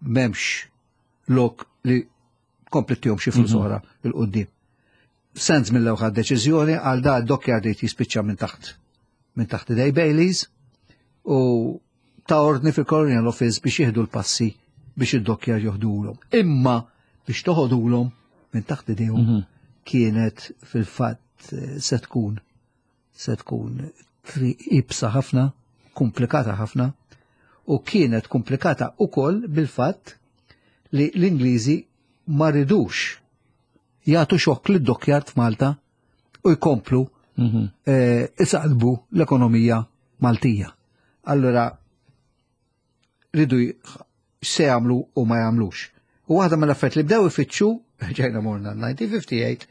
m'hemmx lok li komplettihom xi flus oħra il quddiem. Sands mill-ewwel deċiżjoni għal da d-dockyard jispiċċa minn taħt minn taħt idej Baileys u ta' ordni fil-Colonial Office biex jieħdu l-passi biex id-dockyard joħdulhom. Imma biex toħodulhom minn taħt idejhom kienet fil-fatt se tkun se tkun triq ibsa ħafna, komplikata ħafna, u kienet komplikata ukoll bil-fatt li l-Ingliżi ma ridux jagħtu xokk lid-dockyard f'Malta u jkomplu isaqlbu l-ekonomija Maltija. Allora ridu se jagħmlu u ma jagħmlux. U waħda mill-affarijiet li bdew ifittxu, ġejna morna nineteen fifty-eight,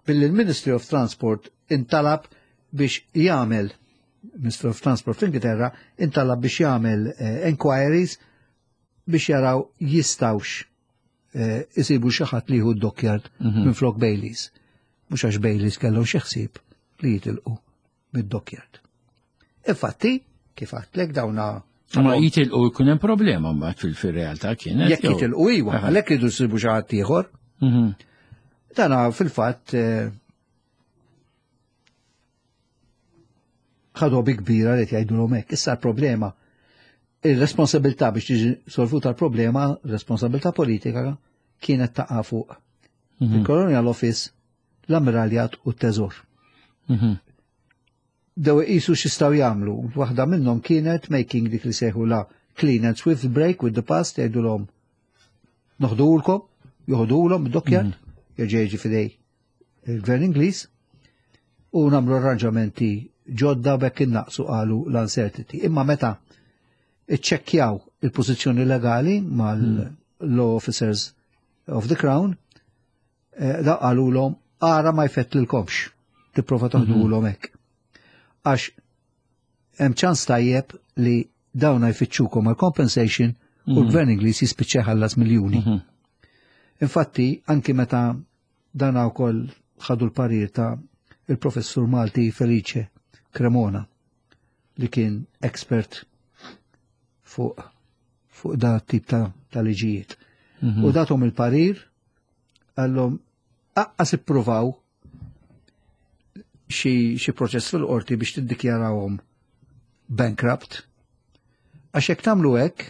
billi l-Ministry of Transport intalab biex jagħmel, Ministry of Transport fl-Ingilterra intalab biex jagħmel inquiries biex jaraw jistawx isibu xi ħadd li jieħu d-dockyard minn flok Baileys. Mhux għax Baileys kellhom xi ħsieb li jitilqu mid-dockyard. Infatti, kif għedtlek dawna Ma jitilqu jkun hemm problema mbagħad fil-realtà kienet. Jekk jitilqu iwa, għalhekk iridu jsibu xi ħadd ieħor. Dana fil-fatt ħadu bi kbira li jgħidulhom hekk. Issa l-problema, ir-responsabilità biex tiġi solvuta l-problema, responsabilità politika kienet taqa' fuq il-Colonial Office, l-Ammiraljat u t-Teżor. Dew iqisu x'jistgħu jagħmlu. Waħda minnhom kienet making dik li sejħu la clean and swift break with the past, jgħidulhom noħdulkom, joħdulhom id-dockyard, jerġa' jiġi f'idej il-Gvern Ingliż, u nagħmlu arranġamenti ġodda bekk innaqsu qalu l-uncertainty. Imma meta iċċekkjaw il-pożizzjoni legali mal-law officers of the Crown, da qalulhom ara ma jfettlilkomx, tipprova toħdulhom hekk. Għax hemm ċans tajjeb li dawn jfittxukom għal compensation u l-Gvern Ingliż jispiċċa jħallas miljuni. Infatti, anki meta dan wkoll ħadu l-parir ta' il-professur Malti Felice Cremona, li kien expert fuq fuq da tip ta' ta' liġijiet. U datom il-parir għallhom aqqas ippruvaw xi proċess fil-qorti biex tiddikjarawhom bankrupt. Għax jekk tagħmlu hekk,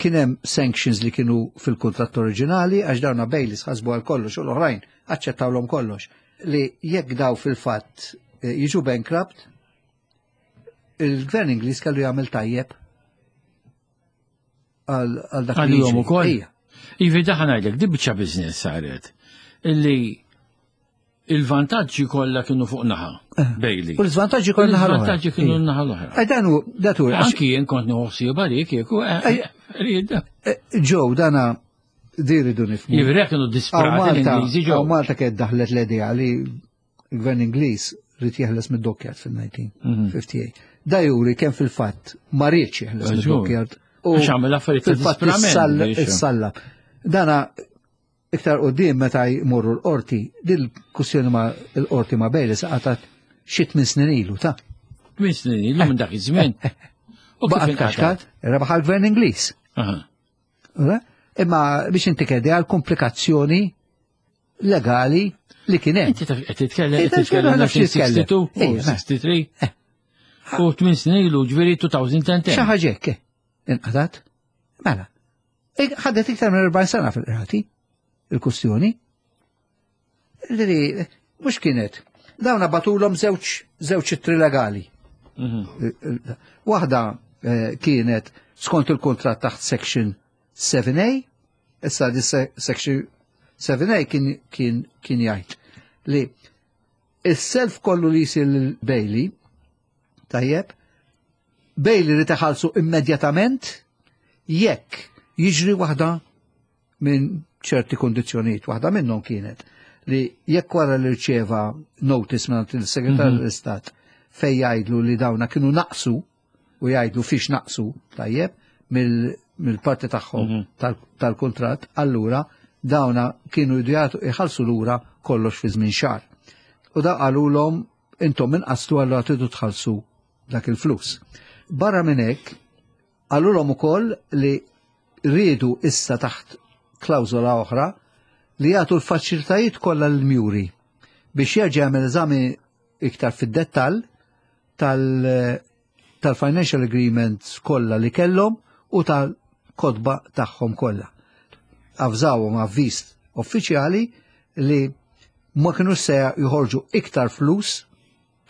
kien hemm sanctions li kienu fil-kuntratt oriġinali għax dawna Baileys ħasbu għal kollox u l-oħrajn aċċettawlhom kollox, li jekk daw fil-fatt jiġu bankrupt, il-Gvern Ingliż kellu jagħmel tajjeb għal dak li għalihom ukoll. Ivi daħan ngħidlek, di biċċa business saret illi il-vantaġġi kollha kienu fuq naħa Bailey. U l-iżvantaġġi kollha naħa l-oħra. Il-vantaġġi kienu naħa l-oħra. Dan hu datu. Anki jien kont nieħu ħsieb għalik kieku rieda. Ġew dana di rridu nifhmu. Jiġifieri kienu disprati l-Ingliżi ġew. Malta kienet daħlet l-idea li l-Gvern Ingliż rid jeħles mid-dockyard fil-nineteen fifty-eight. Da juri kemm fil-fatt ma riedx jeħles mid-dockyard. Għax għamel affarijiet ta' disprament. Issallab. Dana iktar qudiem meta jmorru l-qorti, dil-kwistjoni ma' l-qorti ma' Baileys qatat xi tmien snin ilu ta' Tmien snin ilu minn dak iż-żmien. U kif Baqgħet inqatgħet? kaxkat, rebaħ għall-gvern Ingliż. Aha. Ura? Imma biex inti kedi għal komplikazzjoni legali li kien hemm. Inti taf qed titkellem Inti qed titkellem taf x'titkellem. elf disa' mija u sitta u sittin u Ejja, tlieta u sittin. U tmien snin ilu, ġifieri elfejn u għaxra. Xi ħaġa hekk, inqatat. Mela. Ik- Ħadet iktar minn erbgħin sena fil-qrati il-kustjoni. Ġifieri, mhux kienet. Dawn bagħtulhom żewġ żewġ ittri legali. Mhm. Waħda eh, kienet skont il-kontrat taħt section seba' A, issa di se- section seba' A kien kien kien jgħid li is-self kollu li jsir lil Bailey, tajjeb, Bailey li taħalsu immedjatament jekk jiġri waħda minn ċerti kondizzjonijiet. Waħda minnhom kienet li jekk wara li rċeva notice minn il-Segretarju tal-Istat fej jgħidlu li dawna kienu naqsu u jgħidlu fiex naqsu, tajjeb, mill- mill-parti tagħhom tal- tal-kuntratt, allura dawna kienu jgħatu iħallsu lura kollox fi żmien xahar. U da qalulhom intom inqastu, allura tridu tħallsu dak il-flus. Barra minn hekk, qalulhom ukoll li riedu issa taħt klawżola oħra li jagħtu l-faċilitajiet kollha lil Murey biex jerġa' jagħmel eżami iktar fid-dettall tal- tal-financial agreements kollha li kellhom u tal-kotba tagħhom kollha. Avżawhom avviż uffiċjali li ma kienu se joħorġu iktar flus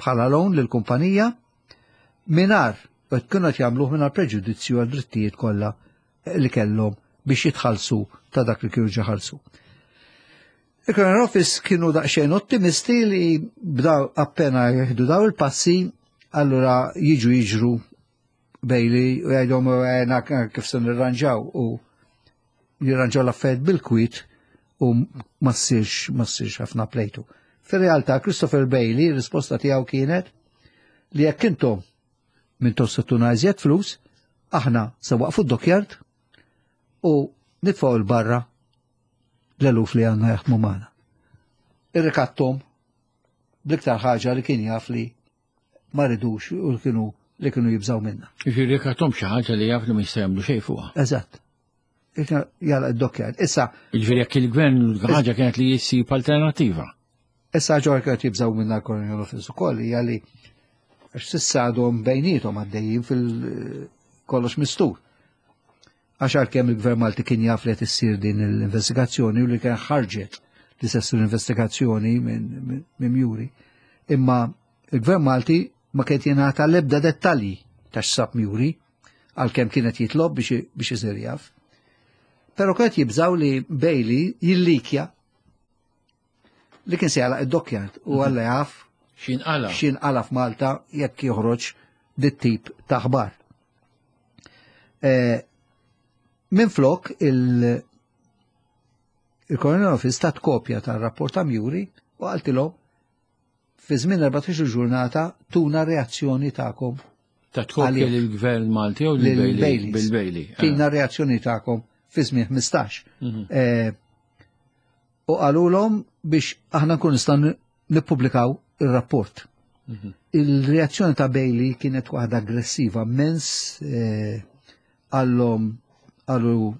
bħala loan lil kumpanija mingħajr u kienu qed jagħmluh mingħajr preġudizzju għal drittijiet kollha li kellhom biex jitħallsu ta' dak li kienu ġaħalsu. Il-Crown Office kienu daqsxejn ottimisti li bdaw appena jieħdu daw il-passi, allura jiġu jiġru Bailey u jgħidhom għena kif se nirranġaw u jirranġaw l-affarijiet bil-kwit u ma ssirx ma ssirx ħafna plejtu. Fir-realtà Christopher Bailey, risposta tiegħu kienet li jekk intom minn se tuna iżjed flus, aħna se waqfu d-dockyard u nitfgħu 'l barra l-eluf li għandna jaħdmu magħna. Irrikattom bl-iktar ħaġa li kien jaf li ma ridux u li kienu li kienu jibżaw minna. Ġifieri rikattom xi ħaġa li jaf li ma jista' jagħmlu xejn fuqha. Eżatt. Jala id-dockyard. Issa, Ġifieri jekk il-gvern ħaġa kienet li jissib alternattiva. Issa ġor kienet jibżaw minna l-Colonial Office ukoll hija li għax s'issa għadhom bejnietom għaddejjin fil-kollox mistur. Għax għalkemm il-Gvern Malti kien jaf li qed issir din l-investigazzjoni u li kien ħarġet li se ssir investigazzjoni minn minn Murey. Imma il-Gvern Malti ma kien jingħata l-ebda dettalji ta' x'sab Murey għalkemm kienet jitlob biex biex isir jaf. Però kienet jibżaw li Bailey jillikja li kien se jagħlaq id-dockyard u għalla jaf X'inqala? x'inqala f'Malta jekk joħroġ dit-tip ta' aħbar. Eh, Minn flok il- il-Colonial Office tat kopja tal-rapport ta' Murey u qaltilhom fi żmien erbatax-il ġurnata tuna reazzjoni tagħkom. Ta' tkopja Għalih. lill-gvern Malti jew lil lil-Bailey? Baileys. Bil-Bailey. Tina reazzjoni tagħkom fi żmien ħmistax. Mhm. Eh, U qalulhom biex aħna nkun nistgħu nippubblikaw ir-rapport. Mhm. Il-reazzjoni ta' Bailey kienet waħda aggressiva, mens eh, għallhom qalu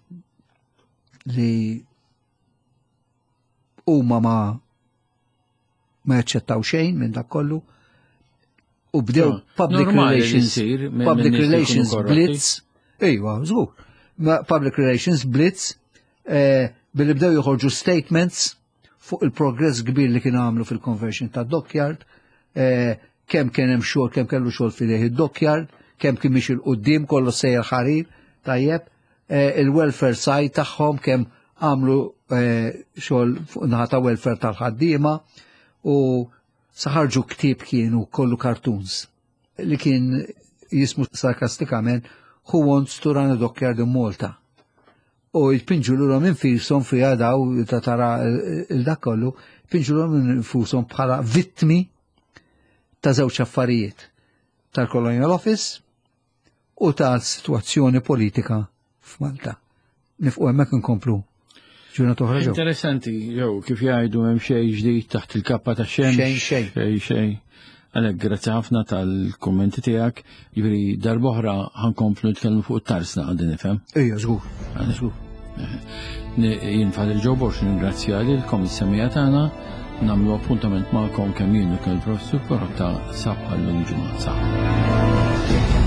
li huma ma ma jaċċettaw xejn minn dak kollu u bdew No, public normali li relations ssir minn- public minn nies li jkunu relations korrotti. blitz, ejwa, żgur. Ma public relations blitz eh, billi bdew joħorġu statements fuq il-progress kbir li kienu għamlu fil-conversion ta' dockyard, eh, kemm kien hemm xogħol, kemm kellu xogħol fidejh id-dockyard, kemm kien mixi 'l quddiem, kollu sejjer ħarir, tajjeb, eh, il-welfare side tagħhom kemm għamlu eh, xogħol fuq naħa ta' welfare tal-ħaddiema u saħarġu ktieb kienu kollu cartoons li kien jismu sarkastikament "Who Wants to Run a Dockyard in Malta?" U jpinġu l infushom fija daw ta' tara il-dak kollu, jpinġu l infushom bħala vittmi ta' żewġ affarijiet, tal-Colonial Office u tal-situazzjoni politika f'Malta. Nifqu hemmhekk, nkomplu ġurnata oħra ġew. Interessanti, jew kif jgħidu, hemm xejn ġdid taħt il-kappa ta' xemx. Xejn, xejn. Xejn, xejn. Għalhekk grazzi ħafna tal-kummenti tiegħek. Jiġifieri darb'oħra ħa nkomplu nitkellmu fuq it-tarsna għandi nifhem. Ejja, żgur. Żgur. Jien Father Joe Borg ningrazzja lilkom is-semmiegħa tagħna, nagħmlu appuntament magħkom kemm jien u kemm il-Professur Pirotta sa bħal-lum ġimgħa. Saħħa.